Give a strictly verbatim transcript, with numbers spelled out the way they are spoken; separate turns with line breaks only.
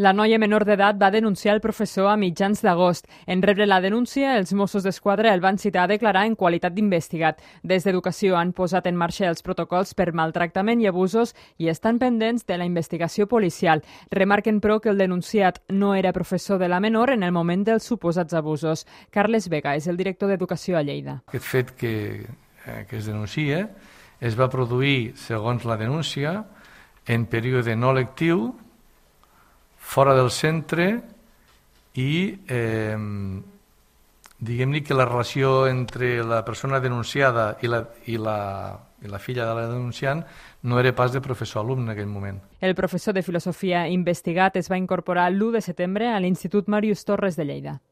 La noia menor d'edat va denunciar el professor a mitjans d'agost. En rebre la denúncia, els Mossos d'Esquadra el van citar a declarar en qualitat d'investigat. Des d'Educació han posat en marxa els protocols per maltractament i abusos i estan pendents de la investigació policial. Remarquen, però, que el denunciat no era professor de la menor en el moment dels suposats abusos. Carles Vega és el director d'Educació a Lleida.
Aquest fet que, que es denuncia es va produir, segons la denúncia, en període no lectiu, fora del centre i eh, diguem-ne que la relació entre la persona denunciada i la, i, la, i la filla de la denunciant no era pas de professor-alumne en aquell moment.
El professor de filosofia investigat es va incorporar l'u de setembre a l'Institut Màrius Torres de Lleida.